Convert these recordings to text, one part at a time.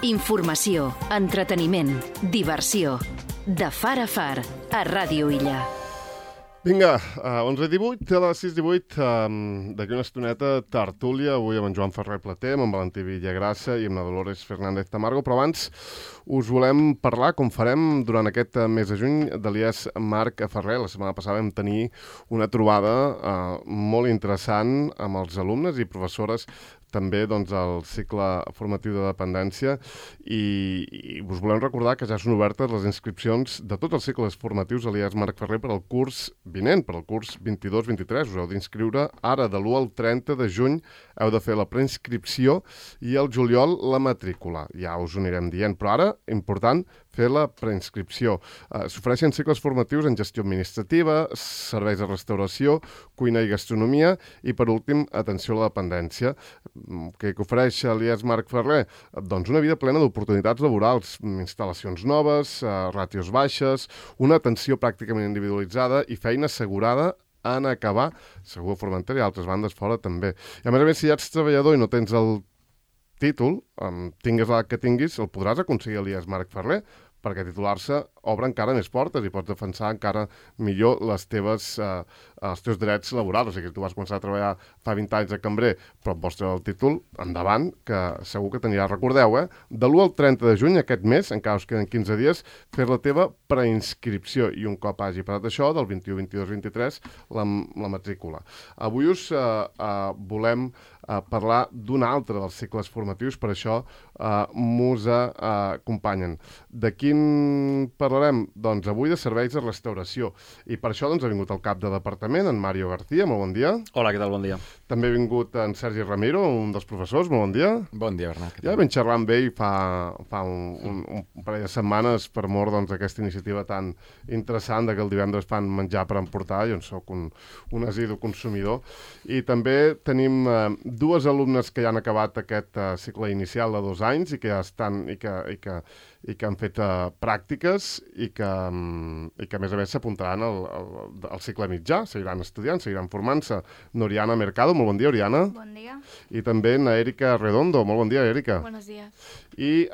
Informació, entreteniment, diversió. De far a far, a Ràdio Illa. Vinga, 11:18, a les 6:18, d'aquí una estoneta, tertúlia, avui amb en Joan Ferrer Plater, amb en Valentí Villagrassa i amb la Dolores Fernández Tamargo, però abans us volem parlar, com farem durant aquest mes de juny, d'Elias Marc Ferrer. La setmana passada vam tenir una trobada molt interessant amb els alumnes i professores també del cicle formatiu de dependència i us volem recordar que ja són obertes les inscripcions de tots els cicles formatius Elias Marc Ferrer per al curs vinent, per al curs 22-23. Us heu d'inscriure ara, de l'1 al 30 de juny, heu de fer la preinscripció i al juliol la matrícula. Ja us ho anirem dient, però ara, important, fer la preinscripció. S'ofereixen cicles formatius en gestió administrativa, serveis de restauració, cuina i gastronomia i, per últim, atenció a la dependència. Què ofereix Elias Marc Ferrer? Doncs una vida plena d'oportunitats laborals, instal·lacions noves, ràtios baixes, una atenció pràcticament individualitzada i feina assegurada en acabar, segur a Formentera i a altres bandes fora també. I a més, si ja ets treballador i no tens el títol, tingues l'edat que tinguis, el podràs aconseguir Elias Marc Ferrer, perquè titular-se obre encara més portes i pots defensar encara millor els teus drets laborals. O sigui, tu vas començar a treballar fa 20 anys de cambrer, però et vols treure el títol, endavant, que segur que t'anirà. Recordeu, de l'1 al 30 de juny, aquest mes, encara us queden 15 dies, fer la teva preinscripció i un cop hagi passat això, del 21, 22, 23, la matrícula. Avui us volem parlar d'un altre dels cicles formatius, per això m'us acompanyen. De quin parlarem? Doncs avui de serveis de restauració. I per això ha vingut el cap de departament, en Mario García. Molt bon dia. Hola, què tal? Bon dia. També ha vingut en Sergi Ramiro, un dels professors. Molt bon dia. Bon dia, Bernat. Ja vam xerrar amb ell fa un parell de setmanes per mort d'aquesta iniciativa tan interessant que el divendres fan menjar per emportar. Jo en soc un assidu consumidor. I també tenim dues alumnes que ja han acabat aquest cicle inicial de 2 anys i que ja estan i que han fet pràctiques i que a més s'apuntaran al cicle mitjà, seguiran estudiant, seguiran formant-se. N'Oriana Mercado, molt bon dia, Oriana. Bon dia. I també na Erika Redondo, molt bon dia, Erika. Buenos días. I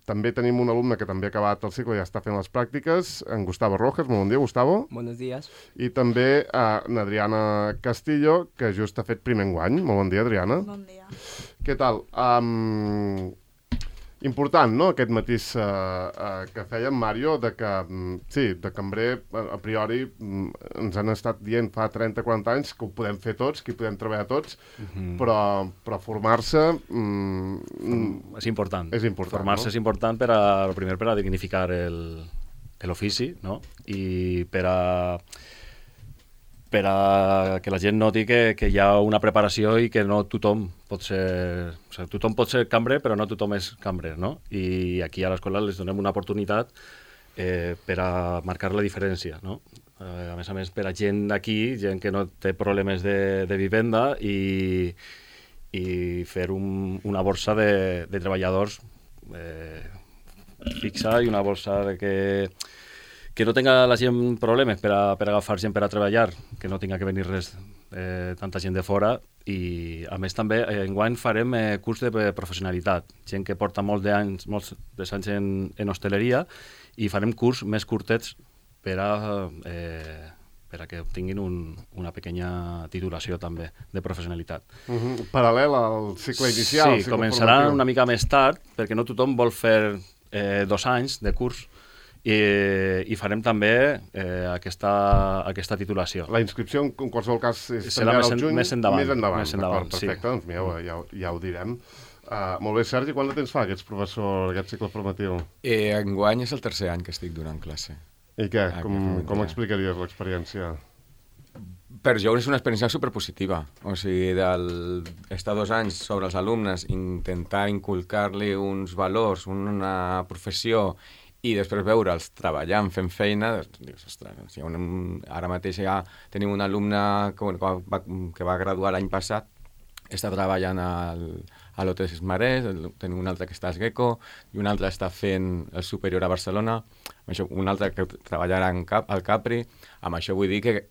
també tenim un alumne que també ha acabat el cicle i ja està fent les pràctiques, en Gustavo Rojas, molt bon dia, Gustavo. Buenos días. I també n'Adriana Castillo, que just ha fet primer enguany. Molt bon dia, Adriana. Bon dia. Què tal? Important, no?, aquest matís que fèiem, Mario, de cambrer, a priori, ens han estat dient fa 30-40 anys que ho podem fer tots, que hi podem treballar tots, però formar-se... És important. És important, Formar-se, no? és important, primer per a dignificar l'ofici, no? I per a que la gent noti que hi ha una preparació i que no tothom pot ser... O sigui, tothom pot ser cambrer, però no tothom és cambrer, no? I aquí a l'escola les donem una oportunitat per a marcar la diferència, no? A més, per a gent d'aquí, gent que no té problemes de vivenda i fer una borsa de treballadors fixa i una borsa que no tenga la gent problemes per agafar gent per a treballar, que no tinga que venir tanta gent de fora. I a més també enguany farem curs de professionalitat, gent que porta molts anys en hostaleria, i farem curs més curtets per a que obtinguin una pequeña titulació també de professionalitat. Paral·lel al cicle inicial. Sí, començarà una mica més tard, perquè no tothom vol fer 2 anys de curs, i farem també aquesta titulació. La inscripció, en qualsevol cas, serà més endavant. Perfecte, doncs mireu, ja ho direm. Molt bé, Sergi, quant de temps fa que ets professor d'aquest cicle formatiu? Enguany és el 3è any que estic donant classe. I què? Com explicaries l'experiència? Per jo és una experiència superpositiva. O sigui, estar 2 anys sobre els alumnes, intentar inculcar-li uns valors, una professió, i després veure'ls treballant, fent feina, dius, ostres, ara mateix ja tenim un alumne que va graduar l'any passat, està treballant a l'Hotel Marès, tenim un altre que està a Esgeco, i un altre està fent el superior a Barcelona, un altre que treballarà al Capri. Amb això vull dir que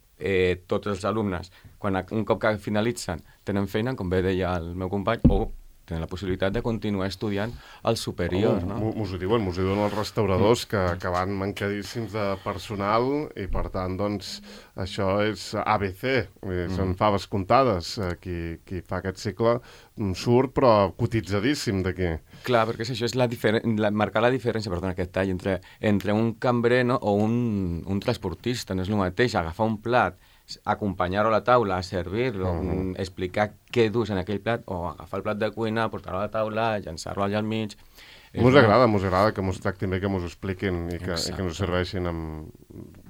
tots els alumnes, un cop que finalitzen, tenen feina, com bé deia el meu company, o tenen la possibilitat de continuar estudiant al superior, no? M'ho diuen els restauradors que van mancadíssims de personal i, per tant, doncs, això és ABC, són faves comptades. Qui fa aquest cicle surt, però cotitzadíssim d'aquí. Clar, perquè això és marcar la diferència, perdona, aquest tall, entre un cambrer, no, o un transportista. No és el mateix agafar un plat, acompanyar-ho a la taula, servir-lo, explicar què dus en aquell plat, o agafar el plat de cuina, portar-lo a la taula, llançar-lo allà al mig. Mos agrada que mos tractin bé, que mos expliquin i que ens serveixin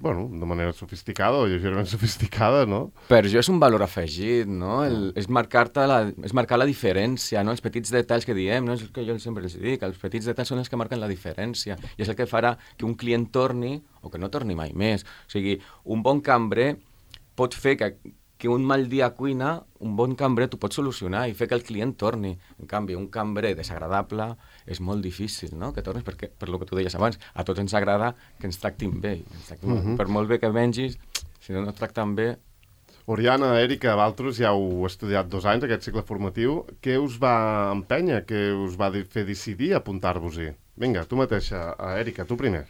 de manera sofisticada o lleugerament sofisticada, no? Per això és un valor afegit, no? És marcar la diferència, no? Els petits detalls que diem, no? És el que jo sempre els dic, els petits detalls són els que marquen la diferència i és el que farà que un client torni o que no torni mai més. O sigui, un bon cambrer pot fer que un mal dia a cuina, un bon cambrer t'ho pot solucionar i fer que el client torni. En canvi, un cambrer desagradable és molt difícil, no?, que tornis, perquè, per lo que tu deies abans, a tots ens agrada que ens tractin bé. Per molt bé que mengis, si no et tracten bé... Oriana, Èrica, vosaltres ja heu estudiat 2 anys, aquest cicle formatiu. Què us va empènyer? Què us va fer decidir apuntar-vos-hi? Vinga, tu mateixa, Èrica, tu primer.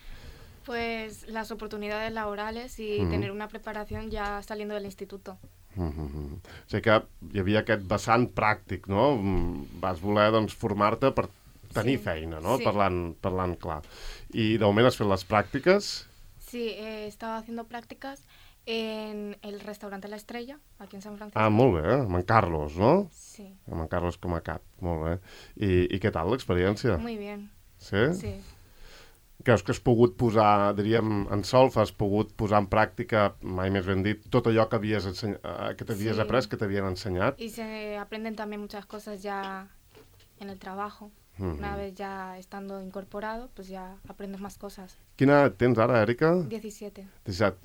Pues las oportunidades laborales y tener una preparación ya saliendo del instituto. O sigui que hi havia aquest vessant pràctic, no? Vas voler, doncs, formar-te per tenir feina, no? Sí. Parlant clar. I de moment has fet les pràctiques? Sí, he estado haciendo prácticas en el restaurante La Estrella, aquí en San Francisco. Ah, molt bé, amb en Carlos, no? Sí. Amb en Carlos com a cap, molt bé. I què tal l'experiència? Muy bien. Sí? Sí. Creus que has pogut posar, diríem, en solfa, has pogut posar en pràctica, mai més ben dit, tot allò que t'havies après, que t'havien ensenyat? Y se aprenden también muchas cosas ya en el trabajo. Una vez ya estando incorporado, pues ya aprendes más cosas. Quina edat tens ara, Èrica? 17.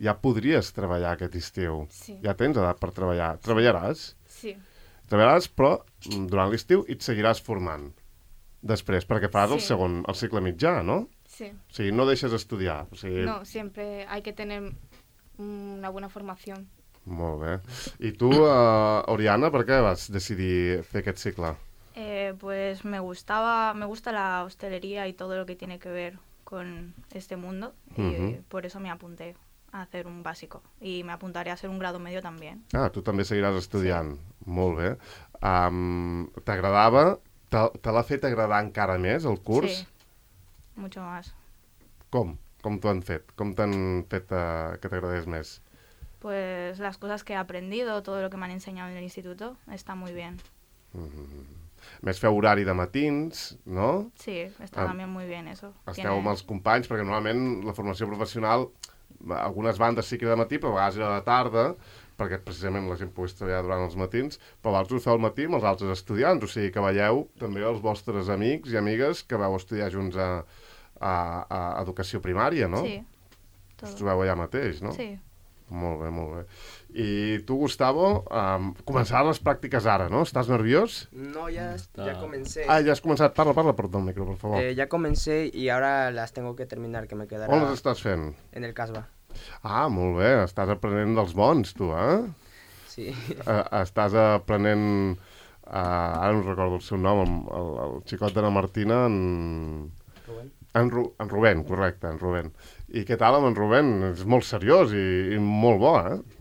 Ja podries treballar aquest estiu. Sí. Ja tens edat per treballar. Treballaràs? Sí. Treballaràs, però durant l'estiu i et seguiràs formant. Després, perquè faràs Sí. el cicle mitjà, no? Sí. O sigui, no deixes estudiar. O sigui... No, siempre hay que tener una buena formación. Molt bé. I tu, Oriana, per què vas decidir fer aquest cicle? Pues me gusta la hostelería y todo lo que tiene que ver con este mundo y por eso me apunté a hacer un básico y me apuntaré a hacer un grado medio también. Ah, tu també seguiràs estudiant. Sí. Molt bé. T'agradava? Te l'ha fet agradar encara més, el curs? Sí, mucho más. Com? Com t'ho han fet? Com t'han fet que t'agradés més? Pues las cosas que he aprendido, todo lo que me han enseñado en el instituto, está muy bien. Més feu horari de matins, no? Sí, está también muy bien eso. Esteu amb els companys, perquè normalment la formació professional, algunes bandes sí que de matí, però a vegades era de tarda, perquè precisament la gent pogués treballar durant els matins, però vosaltres ho feu al matí amb els altres estudiants, o sigui que veieu també els vostres amics i amigues que vau estudiar junts a educació primària, no? Sí. Todo. Us trobeu allà mateix, no? Sí. Molt bé, molt bé. I tu, Gustavo, començaran les pràctiques ara, ¿no? ¿Estás nerviós? No, ya comencé. Ah, ya has comenzado. Parla por el micro, por favor. Ya comencé y ahora las tengo que terminar, que me quedarà... On les estàs fent? En el Casbah. Ah, molt bé. Estàs aprenent dels bons, tu, Sí. Estàs aprenent... ara no recordo el seu nom, el xicot de la Martina, Rubén. En Rubén, correcte, en Rubén. I què tal amb en Rubén? És molt seriós i molt bo,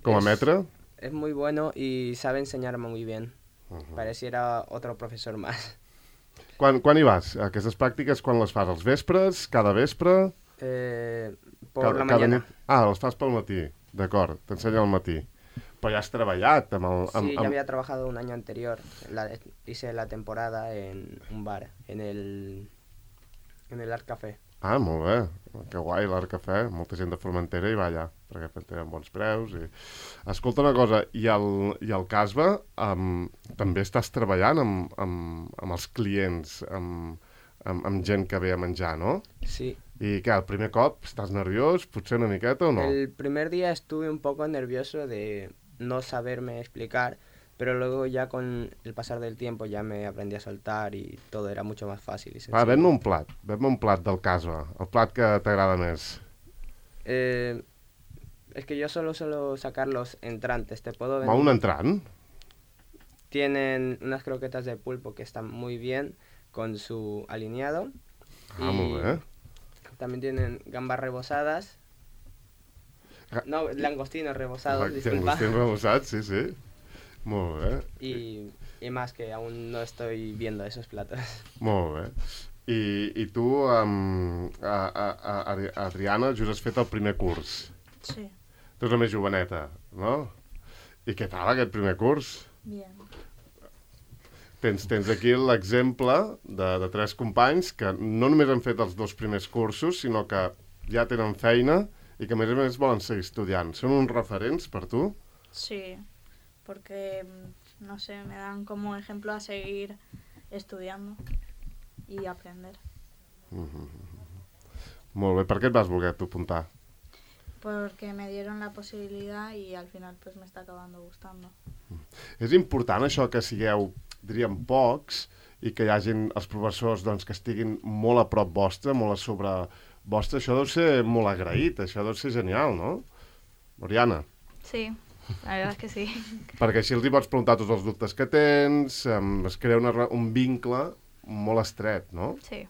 com a metre. Es muy bueno y sabe enseñarme muy bien. Pareciera otro profesor más. Quan hi vas? Aquestes pràctiques, quan les fas? Els vespres? Cada vespre? Por la mañana. Les fas pel matí, d'acord, t'ensenya al matí. Però ja has treballat amb el... Sí, ya había trabajado un año anterior. Hice la temporada en un bar, en el Art Café. Ah, molt bé. Que guai, l'Art Café. Molta gent de Formentera hi va allà, perquè tenen bons preus. Escolta una cosa, i el Casbah també estàs treballant amb els clients, amb gent que ve a menjar, no? Sí. I què, el primer cop estàs nerviós, potser una miqueta o no? El primer día estuve un poco nervioso de no saberme explicar, pero luego ya con el pasar del tiempo ya me aprendí a soltar y todo era mucho más fácil y sencillo. Va, ven-me un plat del Casbah, el plat que t'agrada més. Es que yo solo suelo sacar los entrantes, ¿te puedo Va, un entrant? tienen unas croquetas de pulpo que están muy bien con su alineado. Molt bé. También tienen gambas rebosadas. No, langostinos rebosados, disculpa. Langostinos rebosados, sí. Molt bé. Y más que aún no estoy viendo esos platos. Molt bé. I tu, Adriana, just has fet el primer curs. Sí. Tu ets la més joveneta, no? I què tal aquest primer curs? Bien. Tens aquí l'exemple de 3 companys que no només han fet els 2 primers cursos, sinó que ja tenen feina i que a més volen seguir estudiant. Són uns referents per tu? Sí, porque, no sé, me dan como ejemplo a seguir estudiando y aprender. Molt bé. Per què et vas voler tu apuntar? Porque me dieron la posibilidad y al final pues me está acabando gustando. És important això que sigueu, diríem, pocs i que hi hagin els professors doncs, que estiguin molt a prop vostre, molt a sobre vostre. Això deu ser molt agraït, això deu ser genial, no? Oriana? Sí, la verdad es que sí. Perquè així els hi pots preguntar tots els dubtes que tens, es crea un vincle molt estret, no? Sí.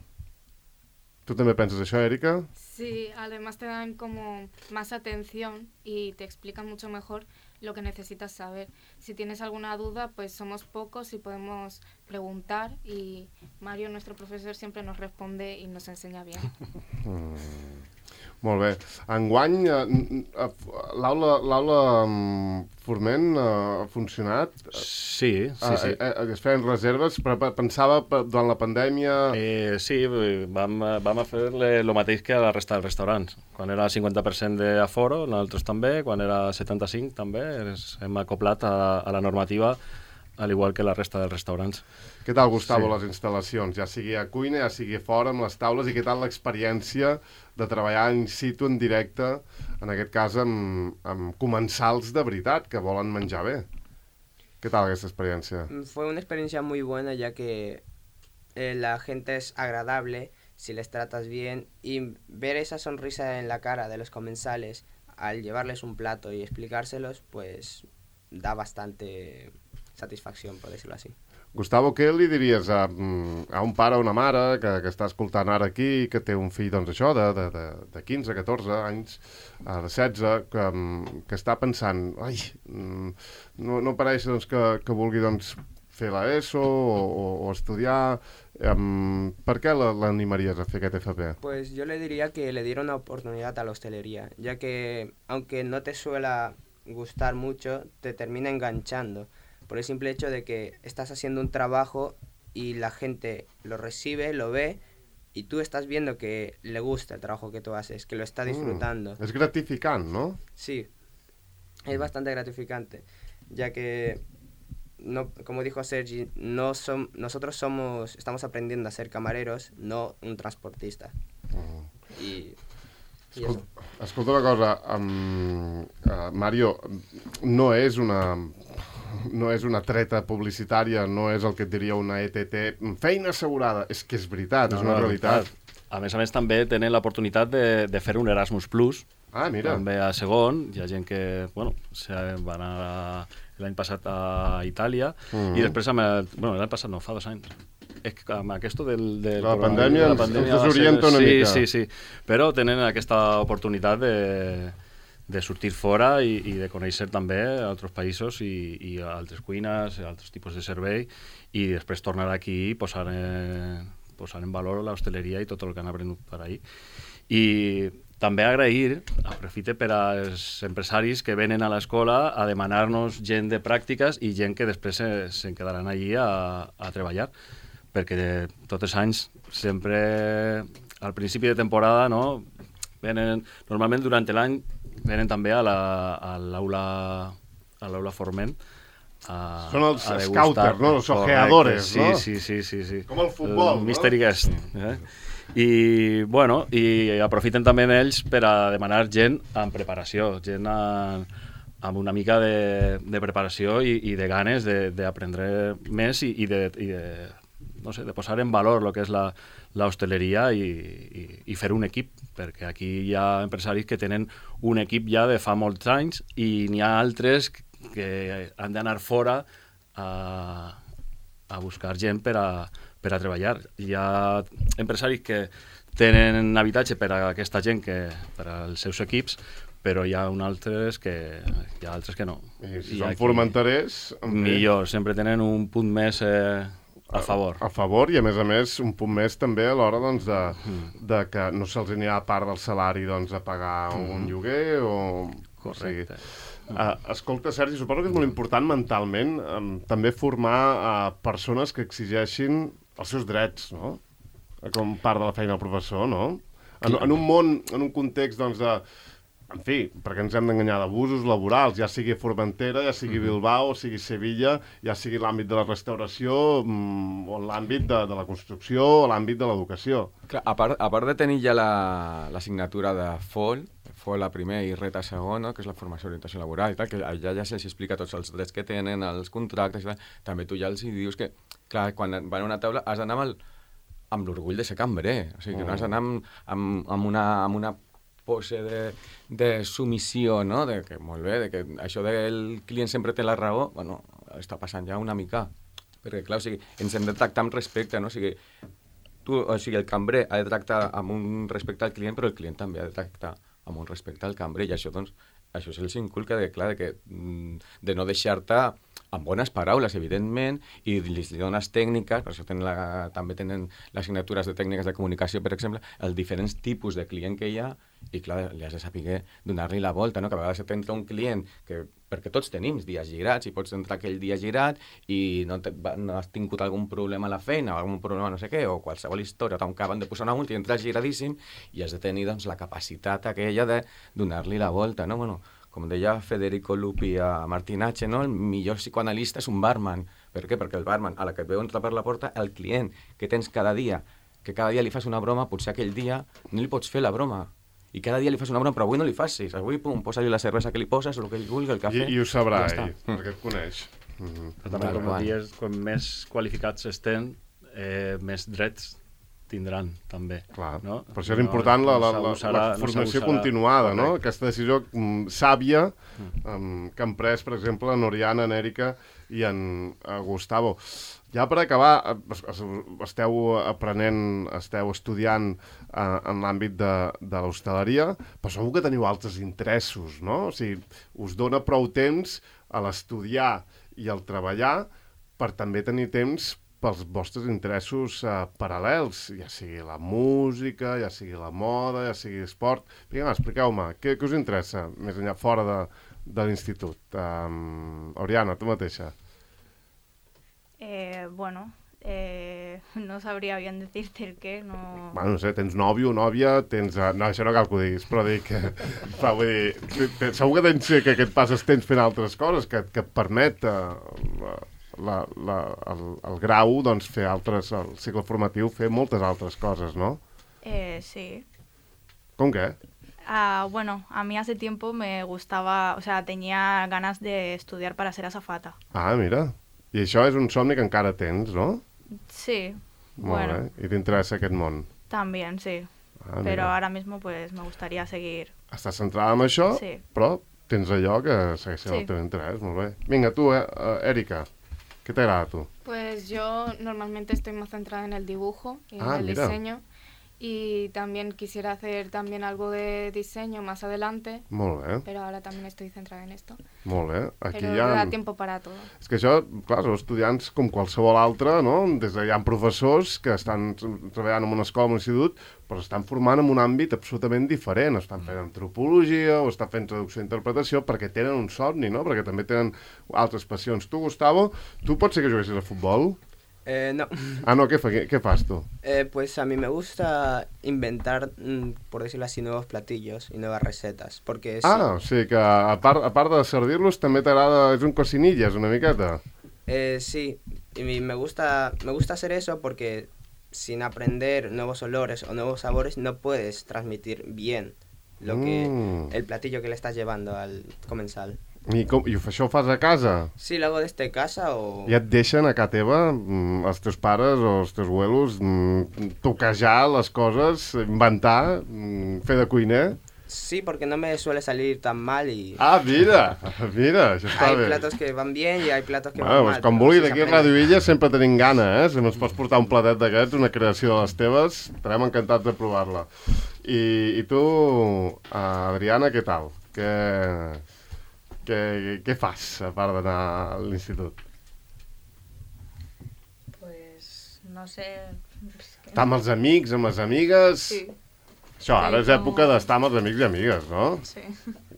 ¿Tú també penses això, Erika? Sí, además te dan como más atención y te explican mucho mejor lo que necesitas saber. Si tienes alguna duda, pues somos pocos y podemos preguntar y Mario, nuestro profesor, siempre nos responde y nos enseña bien. Molt bé. Enguany, l'aula Forment ha funcionat? Sí. Es feien reserves, però pensava durant la pandèmia... Sí, vam fer el mateix que a la resta dels restaurants. Quan era 50% d'aforo, nosaltres també, quan era 75% també, hem acoplat a la normativa, al igual que la resta dels restaurants. Què tal, Gustavo, les instal·lacions? Ja sigui a cuina, ja sigui fora, amb les taules, i què tal l'experiència de treballar in situ, en directe, en aquest cas amb comensals de veritat, que volen menjar bé? ¿Qué tal esta experiencia? Fue una experiencia muy buena, ya que la gente es agradable si les tratas bien, y ver esa sonrisa en la cara de los comensales al llevarles un plato y explicárselos, pues da bastante satisfacción, por decirlo así. Gustavo, què li diries a un pare o una mare que està escoltant ara aquí i que té un fill, doncs això, de 15, 14 anys, de 16, que està pensant, ai, no pareix doncs, que vulgui doncs, fer l'ESO o estudiar, per què l'animaries a fer aquest FP? Pues yo le diría que le diera una oportunidad a la hostelería, ya que aunque no te suela gustar mucho, te termina enganchando. Por el simple hecho de que estás haciendo un trabajo y la gente lo recibe, lo ve, y tú estás viendo que le gusta el trabajo que tú haces, que lo está disfrutando. Es gratificante, ¿no? Sí, es bastante gratificante, ya que, no, como dijo Sergi, nosotros estamos aprendiendo a ser camareros, no un transportista. Y escolta una cosa, Mario, no és una treta publicitària, no és el que et diria una ETT, feina assegurada, és que és veritat, és una realitat. A més, també tenen l'oportunitat de fer un Erasmus Plus. Ah, mira. També a segon, hi ha gent que, va anar l'any passat a Itàlia, i després, l'any passat no, fa 2 anys. És que amb aquest de la pandèmia ens desorienta una mica. Sí, però tenen aquesta oportunitat de sortir fora i de conèixer també altres països i altres cuines, altres tipus de servei, i després tornar aquí i posar en valor l'hostaleria i tot el que han aprenut per ahí. I també agrair, aprofite per als empresaris que venen a l'escola a demanar-nos gent de pràctiques i gent que després se'n quedaran allí a treballar, perquè tots els anys sempre al principi de temporada venen, normalment durant l'any venen també a l'aula Forment. Són els scouters, no? Els ojeadores, no? Sí. Com el futbol, no? Mystery guest. I aprofiten també ells per a demanar gent amb preparació, gent amb una mica de preparació i de ganes d'aprendre més i de posar en valor el que és l'hostaleria i fer un equip, perquè aquí hi ha empresaris que tenen un equip ja de fa molts anys i n'hi ha altres que han d'anar fora a buscar gent per a treballar. Hi ha empresaris que tenen habitatge per a aquesta gent, per als seus equips, però hi ha altres que no. I si són formenterers... Millor, sempre tenen un punt més a favor. A favor, i a més, un punt més també a l'hora doncs, de que no se'ls anirà a part del salari doncs, a pagar un lloguer o... Correcte. Escolta, Sergi, suposo que és molt important mentalment també formar persones que exigeixin els seus drets, no? Com part de la feina del professor, no? En un món, en un context, doncs, en fi, perquè ens hem d'enganyar, d'abusos laborals, ja sigui Formentera, ja sigui Bilbao, sigui Sevilla, ja sigui l'àmbit de la restauració o l'àmbit de la construcció o l'àmbit de l'educació. A part de tenir ja l'assignatura de FOL a primer i RET a segon, no? Que és la formació d'orientació laboral i tal, que allà ja se'ls explica tots els drets que tenen, els contractes i tal. També tu ja els dius que, clar, quan van a una taula has d'anar amb l'orgull de ser cambrer, o sigui, que no has d'anar amb una pose de submissió, no? De que, molt bé, de que això del client sempre té la raó, bueno, està passant ja una mica. Perquè, clar, o sigui, ens hem de tractar amb respecte, no? O sigui, el cambrer ha de tractar amb un respecte al client, però el client també ha de tractar amb un respecte al cambrer, i això, doncs, això se'ls inculca de no deixar-te amb bones paraules, evidentment, i li dones tècniques, per això també tenen les assignatures de tècniques de comunicació, per exemple, els diferents tipus de client que hi ha, i clar, li has de saber donar-li la volta, no? Que a vegades t'entra un client perquè tots tenim dies girats, i pots entrar aquell dia girat i no has tingut algun problema a la feina, o algun problema no sé què, o qualsevol història, t'acaben de posar una multa i entras giradíssim, i has de tenir, doncs, la capacitat aquella de donar-li la volta, no? Bueno, com deia Federico Lupi a Martinacci, no? El millor psicoanalista és un barman. Per què? Perquè el barman, a la que et veu entrar per la porta, el client que tens cada dia, que cada dia li fas una broma, potser aquell dia no li pots fer la broma. I cada dia li fas una broma, però avui no li facis. Avui, pum, posa-li la cervesa que li poses, el que ell vulgui, el cafè... I ho sabrà ell, perquè et coneix. Però també, com dius, quan més qualificats estem, més drets tindran, també. Clar, no? per això és important la formació continuada, no? Aquesta decisió sàvia que han pres, per exemple, en Oriana, en Èrica i en Gustavo. Ja per acabar, esteu aprenent, esteu estudiant en l'àmbit de l'hostaleria, però segur que teniu altres interessos, no? O sigui, us dona prou temps a l'estudiar i al treballar per també tenir temps pels vostres interessos paral·lels, ja sigui la música, ja sigui la moda, ja sigui esport. Expliqueu-me, què us interessa més enllà fora de l'institut? Oriana, tu mateixa. Bueno, no sabria bien decirte el què, no... Bueno, no sé, tens nòvio, nòvia, tens... No, això no cal que ho diguis, però dic que... Vull dir, segur que tens que et passes temps fent altres coses, que et permet el grau, doncs, fer altres... El cicle formatiu, fer moltes altres coses, no? Sí. ¿Con qué? Bueno, a mí hace tiempo me gustaba, o sea, tenía ganas de estudiar para ser azafata. Ah, mira. I això és un somni que encara tens, no? Sí. Molt bé. I t'interessa aquest món? También, sí. Pero ahora mismo pues me gustaría seguir... Estàs centrada en això, sí. Però tens allò que segueix sent el teu interès, molt bé. Vinga, tu, Èrica, què t'agrada a tu? Pues yo normalmente estoy más centrada en el dibujo y en el diseño. Y también quisiera hacer también algo de diseño más adelante. Molt bé. Pero ahora también estoy centrada en esto. Molt bé. Aquí però hi ha... da tiempo para todo. És que això, clar, són estudiants com qualsevol altre, no? Des de hi ha professors que estan treballant en una escola, en un institut, però estan formant en un àmbit absolutament diferent. Estan fent antropologia o estan fent traducció i interpretació perquè tenen un somni, no? Perquè també tenen altres passions. Tu, Gustavo, tu pots ser que juguessis a futbol? No. Ah, no, ¿qué fas tú? Pues a mí me gusta inventar, por decirlo así, nuevos platillos y nuevas recetas, porque... Ah, sí. O sigui que a part de servir-los també t'agrada, és un cocinillas una miqueta. Sí, y me gusta hacer eso porque sin aprender nuevos olores o nuevos sabores no puedes transmitir bien el platillo que le estás llevando al comensal. I això ho fas a casa? Sí, lo hago desde casa o... I et deixen a casa teva, els teus pares o els teus abuelos, toquejar les coses, inventar, fer de cuiner? Sí, porque no me suele salir tan mal y... Ah, mira, això està Hay bé. platos que van bien y hay platos que van Bueno, mal. doncs com pero vulguis, sí se aquí a aprende. Radio Illa sempre tenim gana, Si ens pots portar un platet d'aquests, una creació de les teves, estarem encantats de provar-la. I tu, Adriana, què tal? Què fas, a part d'anar a l'institut? Pues no sé. Estar amb els amics, amb les amigues... Sí. Això, ara és època d'estar amb els amics i amigues, no? Sí.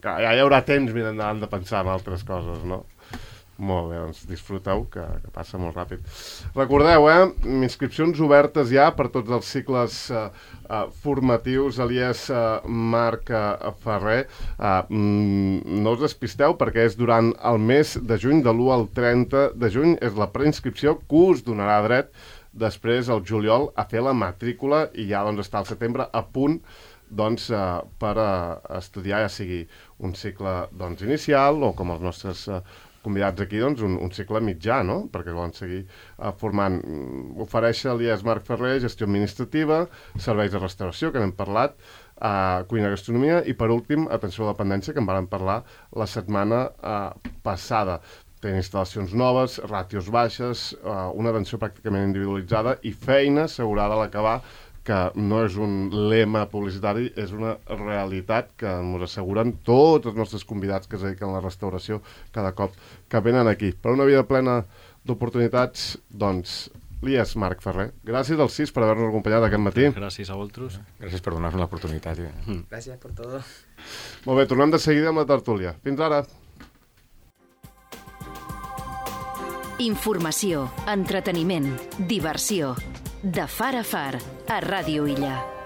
Ja hi haurà temps més endavant de pensar en altres coses, no? Molt bé, doncs disfruteu, que passa molt ràpid. Recordeu, inscripcions obertes ja per tots els cicles formatius a l'IES Marc Ferrer. No us despisteu perquè és durant el mes de juny, de l'1 al 30 de juny, és la preinscripció que us donarà dret després, al juliol, a fer la matrícula i ja doncs, està al setembre a punt doncs, per estudiar, ja sigui un cicle doncs, inicial o com els nostres convidats aquí, doncs, un cicle mitjà, no? Perquè volen seguir formant. Ofereix l'IES Marc Ferrer gestió administrativa, serveis de restauració, que n'hem parlat, cuina i gastronomia, i per últim, atenció a la dependència, que en vam parlar la setmana passada. Tenen instal·lacions noves, ràtios baixes, una atenció pràcticament individualitzada i feina assegurada a l'acabar, que no és un lema publicitari, és una realitat que ens asseguren tots els nostres convidats que es dediquen a la restauració cada cop que venen aquí. Per una vida plena d'oportunitats, doncs, l'IES Marc Ferrer. Gràcies als 6 per haver-nos acompanyat aquest matí. Gràcies a vosaltres. Gràcies per donar-nos l'oportunitat. Gracias por todo. Molt bé, tornem de seguida amb la tertúlia. Fins ara. Informació, entreteniment, diversió. De far a far, a Ràdio Illa.